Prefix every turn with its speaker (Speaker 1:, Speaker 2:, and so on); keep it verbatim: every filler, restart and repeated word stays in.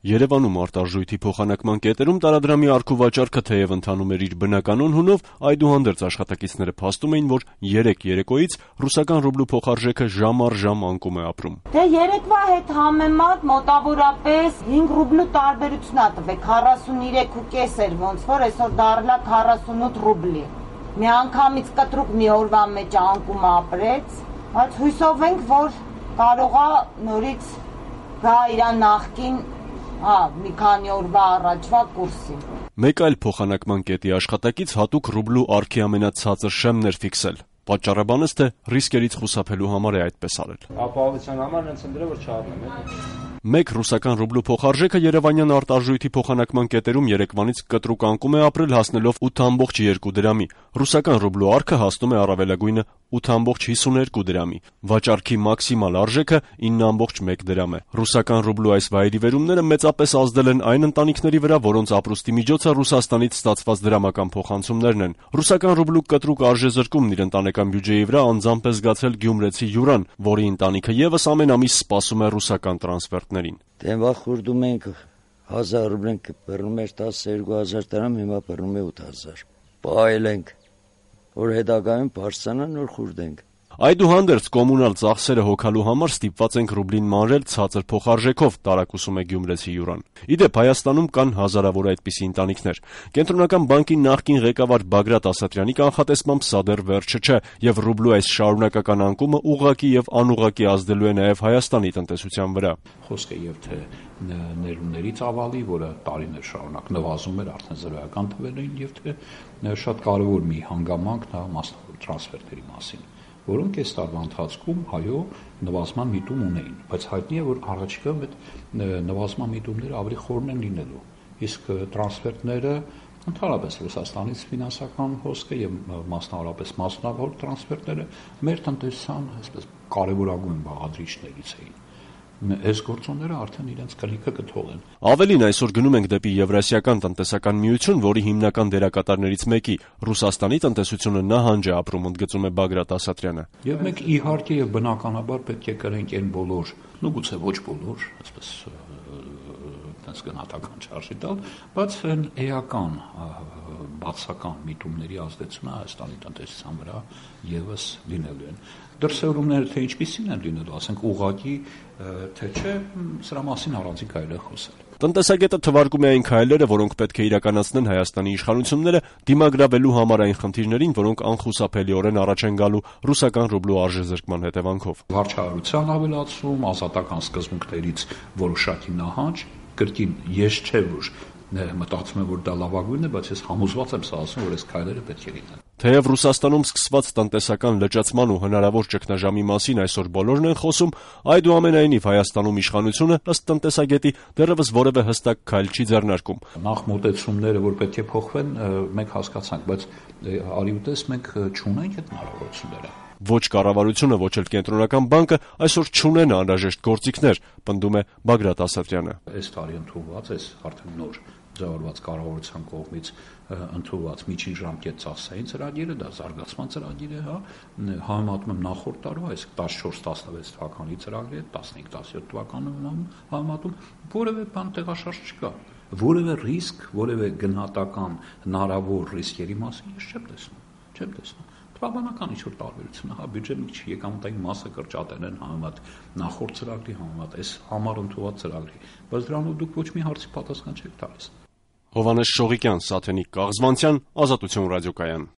Speaker 1: Երևանում արտարժույթի փոխանակման կետերում տարադրամի առք-ու-վաճառքը թեև ընթանում էր իր բնականոն հունով, այդուհանդերձ աշխատակիցները փաստում էին, որ երեք երեկոյից ռուսական ռուբլու փոխարժեքը ժամ առ ժամ անկում է ապրում։
Speaker 2: Դե երեկվա հետ համեմատ մոտավորապես հինգ ռուբլու տարբերություն ա տվել, քառասուններեք ու կես էր ոնց որ, այսօր դառնա քառասունութ ռուբլի։ Միանգամից կտրուկ մի օրվա մեջ անկում ապրեց, բայց հույսով ենք, որ կարողա նորից գա իր նախկին Հա, մի քանի օրվա առաջվա կուրսին։
Speaker 1: Մեկ այլ փոխանակման կետի աշխատակից հատուկ ռուբլու առքի ամենացածր շեմն էր ֆիքսել։ Պատճառը բանս թե ռիսկերից խուսափելու համար է այդպես արել։
Speaker 3: Ապահովության համար հենց ընտրել որ չառնեմ։
Speaker 1: Մեկ ռուսական ռուբլու փոխարժեքը երևանյան արտարժույթի փոխանակման կետերում երեկվանից կտրուկ անկում է ապրել, հասնելով ութ կoma երկու դրամի։ Ռուսական ռուբլու առքը հասնում է առավելագույնը ութ կoma հիսուներկու դրամի։ Վաճառքի մաքսիմալ արժեքը ինը կoma մեկ դրամ է։ Ռուսական ռուբլու այս վայրիվերումները մեծապես ազդել են այն ընտանիքների վրա, որոնց ապրուստի միջոցը Ռուսաստանից ստացված դրամական փոխանցումներն են։ Ռուսական ռուբլու կտրուկ արժեզրկումն իր ընտանեկան բյուջեի վրա անձամբ է զգացել գյումրեցի Յուրան, որի ընտանիքը եւս ամեն ամիս սպասում է ռուսական տրանսֆերտներին։
Speaker 4: Դեմվա խուրդում ենք հազար ռուբլեն կպռնում էր տասնյոթ հազար դրամ, հիմա պռնում է ութ հազար։ Պահել ենք, որ հետագայում բարձրանա նոր խուրդենք։
Speaker 1: Այդուհանդերձ կոմունալ ծախսերը հոգալու համար ստիպված ենք ռուբլին մանրել ցածր փոխարժեքով, տարակուսում է գյումրեցի Յուրան։ Իդեպ Հայաստանում կան հազարավոր այդպիսի ընտանիքներ։ Կենտրոնական բանկի նախկին ղեկավար Բագրատ Ասատրյանի կանխատեսմամբ սա դեռ վերջը չէ, եւ ռուբլու այս շարունակական անկումը ուղղակի եւ անուղղակի ազդելու է նաեւ Հայաստանի տնտեսության վրա։
Speaker 5: Խոսքը եւ թե ներումների ծավալի, որը տարիներ շարունակ նվազում էր արդեն զրոյական թվերին, եւ թե շատ կարեւոր մի հանգամանք նա մասնավոր տրանսֆերտերի մասին, որոնք այս տարվա ընթացքում հայո նվազման միտում ունեին, բայց հայտնի է, որ առաջիկայում այդ նվազման միտումները ավելի խորն են լինելու, իսկ տրանսֆերտները ընդհանրապես Ռուսաստանից ֆինանսական հոսքը եւ մասնավորապես մասնավոր տրանսֆերտները մեր տնտեսության այսպես կարևորագույն բաղադրիչներից էին։ Այս գործոնները արդեն իրենց կլիքը կթողեն։
Speaker 1: Ավելին, այսօր գնում ենք դեպի Եվրասիական տնտեսական միություն, որի հիմնական դերակատարներից մեկի Ռուսաստանի տնտեսությունը նահանջ է ապրում, ընդգծում է Բագրատ Ասատրյանը։
Speaker 5: Եվ մենք իհարկե եւ բնականաբար պետք է կրենք այն բոլոր, նու գուցե ոչ բոլոր, այսպես այդպես գնահատական չարժի տալ, բայց այն էական բացական միտումների ազդեցությունը Հայաստանի տնտեսության վրա եւս լինելու են։ Դրսևորումները թե ինչպիսին են լինելու, ասենք ուղղակի թե չէ, սրա մասին առանցին կարելի է խոսել։
Speaker 1: Տնտեսագետը թվարկում է այն քայլերը, որոնք պետք է իրականացնեն Հայաստանի իշխանությունները դիմագրավելու համար այն խնդիրներին, որոնք անխուսափելիորեն առաջ են գալու ռուսական ռուբլու արժեզրկման հետևանքով։
Speaker 5: Վարչահարության ավելացում, ազատական սկզբունքներից որոշակի նահանջ, կրկին ես չէ որ մտածում եմ, որ դա լավագույնն է, բայց ես համոզված եմ սա ասում, որ այս քայլերը պետք է լինեն։
Speaker 1: Թեև Ռուսաստանում սկսված տնտեսական լճացման ու հնարավոր ճգնաժամի մասին այսօր բոլորն են խոսում, այդուամենայնիվ Հայաստանում իշխանությունը, ըստ տնտեսագետի, դեռևս որևէ հստակ քայլ չի ձեռնարկում։
Speaker 5: Նախ մոտեցումները, որ պետք է փոխվեն, մենք հասկացանք, բայց արի ու տես մենք չունենք այդ հնարավորությունները։
Speaker 1: Ոչ կառավարությունը, ոչ էլ կենտրոնական բանկը այսօր չունեն անհրաժեշտ գործիքներ, պնդում է Բագրատ Ասատրյանը։
Speaker 5: Այս տարի ընդունված է արդեն նոր ձևավորված կառավարության կողմից ընդունված միջին ժամկետ ծախսային ծրագիրը, դա զարգացման ծրագիր է, հա, համեմատում եմ նախորդ տարվա, իսկ տասնչորս տասնվեց թվականի ծրագրի հետ, տասնհինգ տասնյոթ թվականում համեմատում որևէ բան տեղաշարժ չկա, որևէ ռիսկ, որևէ գնահատական հնարավոր ռիսկերի մասին ես չեմ տեսնում, չեմ տեսնում։ Բավականական ինչ-որ տարբերություն է, հա, բյուջեի մի քիչ եկամտային մասը կրճատել են համեմատ նախորդ ծրագրի համեմատ այս համար ընդունված ծրագրի, բայց դրանով դուք ոչ մի հարցի պատասխան չեք տալիս։
Speaker 1: Հովհաննես Շողիկյան, Սաթենիկ Կաղզվանցյան, Ազատություն ռադիոկայան։